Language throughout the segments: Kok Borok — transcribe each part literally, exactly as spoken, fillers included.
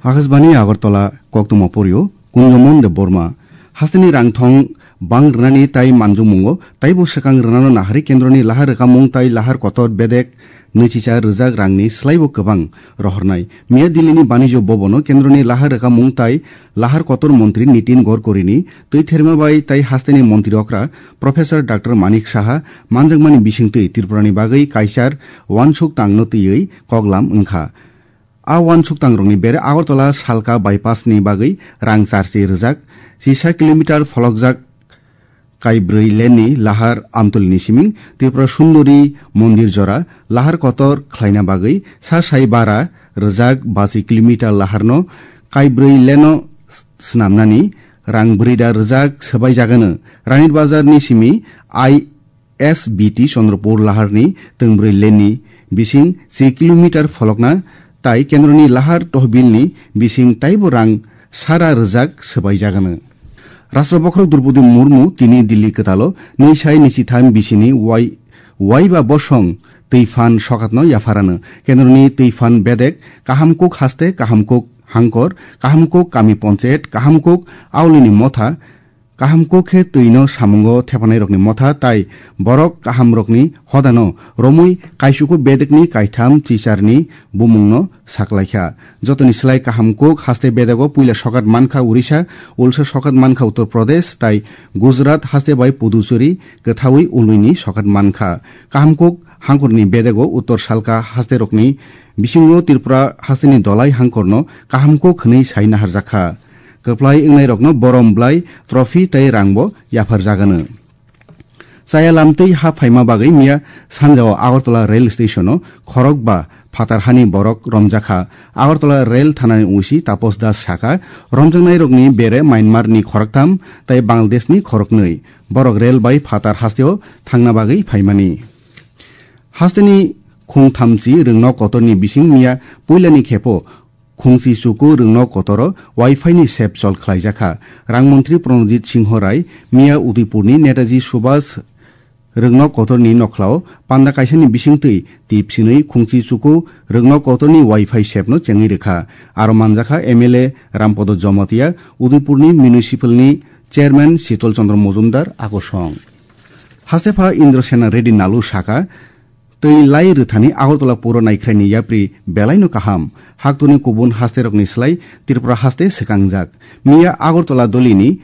Akashbani Agartala, koktwma porio Kunjomon Debbarma. Hasteni rangthong bang rwnani tai manjukmungo taibo swkang rwnano naharwi kendroni lahar rwkamung tai lahar kotor bedek nwichicha rwjak rangni swlaibo kwbang rohornai. Miya Dillini Banijyo Bhabono kendroni lahar rwkamung tai lahar kotor montri Nitin Gadkarini twi therma bai tai hasteni montri okra Professor Doctor Manik Saha manjakmani bisingtwi Tripurani bagwi kaichar uansuk tangno twiwi koklam wngkha. A uansuk tangrokni bere Agartala Salka bypass ni bagwi rang charchi rwjak, chisa kilometer pholokjak kaibrwi lane ni lahar Amtoli ni siming Tripura Sundori mondir jora lahar kotor khlaina bagwi sa sai bara rwjak bachi kilometer laharno kaibrwi lane o s-, snamnani rang brwi da rwjak swbai jagano. Ranit Bazar ni simi I S B T Chandrapur laharni twngbwrwi lane ni bising se kilometer pholokna tai kendroni lahar tohbilni bising taibo rang sara rwjak swbai jagano. Rashtra bokhorok Droupadi Murmu tini Delhi kwtalo nwi sai nwichitham bisini wai-, waiba bosong twi phan sokatno yapharano. Kendroni twi phan bedek Kahamkuk haste, Kahamkuk hangkor, Kahamkuk kami ponchayat, Kahamkuk aulini motha, Kahamkuk khe twino samungo thepanairokni motha tai borok kahamrokni hodano romwi kaisuku bedekni kaitham chicharni bumungno saklaikha. Jotoni slai Kahamkuk haste bedego puila sokat mankha Orissa, ulsa sokat mankha Uttar Pradesh tai Gujarat haste bai Puducherry kwthaui ulwini sokat mankha. Kahamkuk hangkorni bedego Uttar Salka hasterokni bisingo Tripura hasteni Dolai hangkorno Kahamkuk hwnwi sai naharjakha. Kwplai wngnairokno borom bwlai trophy tei rangbo yapharjagano. Chaya lamtwi ha phaima bagwi miya sanjao Agartala rail stationo khorokba phatar hani borok romjakha. Agartala rail thanani O C Tapos Das sakha, romjaknairokni bere Myanmarni khoroktham tei Bangladeshni khoroknwi. Borok rail bai phatar hasteo thangna bagwi phaimani. Hasteni khung thamchi rwngnok kotorni bising miya puilani khepo khungchi chuku rwngnok kotoro Wi-Fi ni sep chol khlaijakha. Rang montri Pranojit Singho Rai miya Udaipurni Netaji Subhas rwngnok kotorni nokhlao panda kaisani bisingtwi tip sinwi khungchi chuku rwngnok kotorni Wi-Fi sepno chengwi rwkha. Aro manjakha M L A Rampodo Jomatia, Udaipurni municipalni chairman Shitol Chandra Mojumdar akosong. Hastepha Indra Sena Reddy Nalu sakha, twi lai rwthani Agartala puro naikhraini yapri belaino kaham. Haktorni kubun hasterokni slai Tripura haste swkangjak. Miya Agartala dolini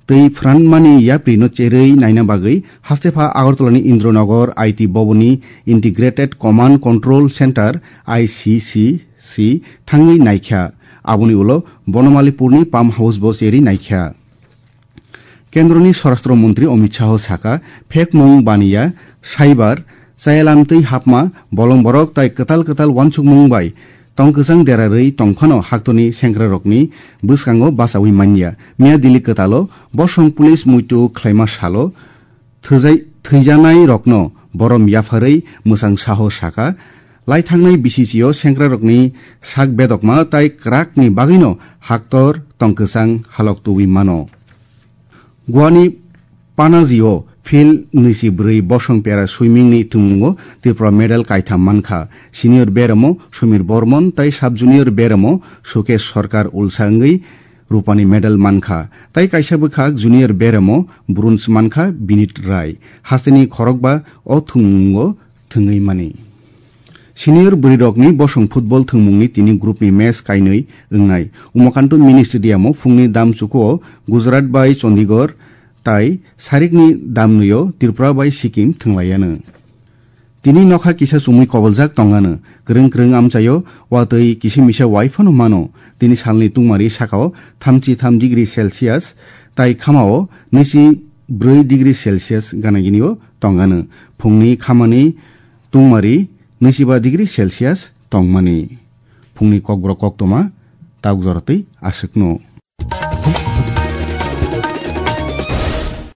twi phranmani yaprino cherwi naina bagwi hastepha Agartalani Indranagar I T Bhavanni Integrated Command Control Center, I C C C, thangwi naikha. Aboni ulo Bonomalipurni pump house bo cherwi naikha. Kendroni Swarashtra Montri Amit Shah sakha, phekmung baniya, cyber, chayalamtwi hapma, bolong borok tai kwtal kwtal uansukmung bai tongkwchang derarwi tongphano haktorni sengkrarokni bwskango bachaui manya. Miya Delhi kwtalo bosong police muitu khlaima salo thwijai-, thwijanairokno borom yapharwi mwchang saho sakha, lai thangnai B C C o sengkrarokni sak bedokma tai kwrakni bagwino haktor tongkwchang halok tubui mano. Goani Panaji o field nwichi bwrwi bosong para swimming ni thwngmungo Tripura medal kaitham mankha. Senior beremo Sumir Bormon tai sub junior beremo Sukesh Sarkar ulsa wngwi rupani medal mankha. Tai kaisa bwkhak junior beremo bronze mankha Binit Rai. Hasteni khorokba o thwngmungo thwngwi mani. Senior bwrwirokni bosong football thwngmungni tini groupni match kainwi wngnai. Umakanto Mini Stadium-o phungni dam chukuo Gujarat bai Chandigarh tai sarikni dam nwio Tripura bai Sikkim thwnglaianw. Tini nokha kisa chumui koboljak tonganw. Kwrwng kwrwng amchaio watwi kisa misa wai phano mano. Tini salni tungmari sakao thamchi tham degree Celsius tai khamao nwichi bwrwi degree Celsius gana ginio tonganw. Phungni khamani tungmari nwichiba degree Celsius tongmani. Phungni kokborok koktwma tabuk joratwi aswkno.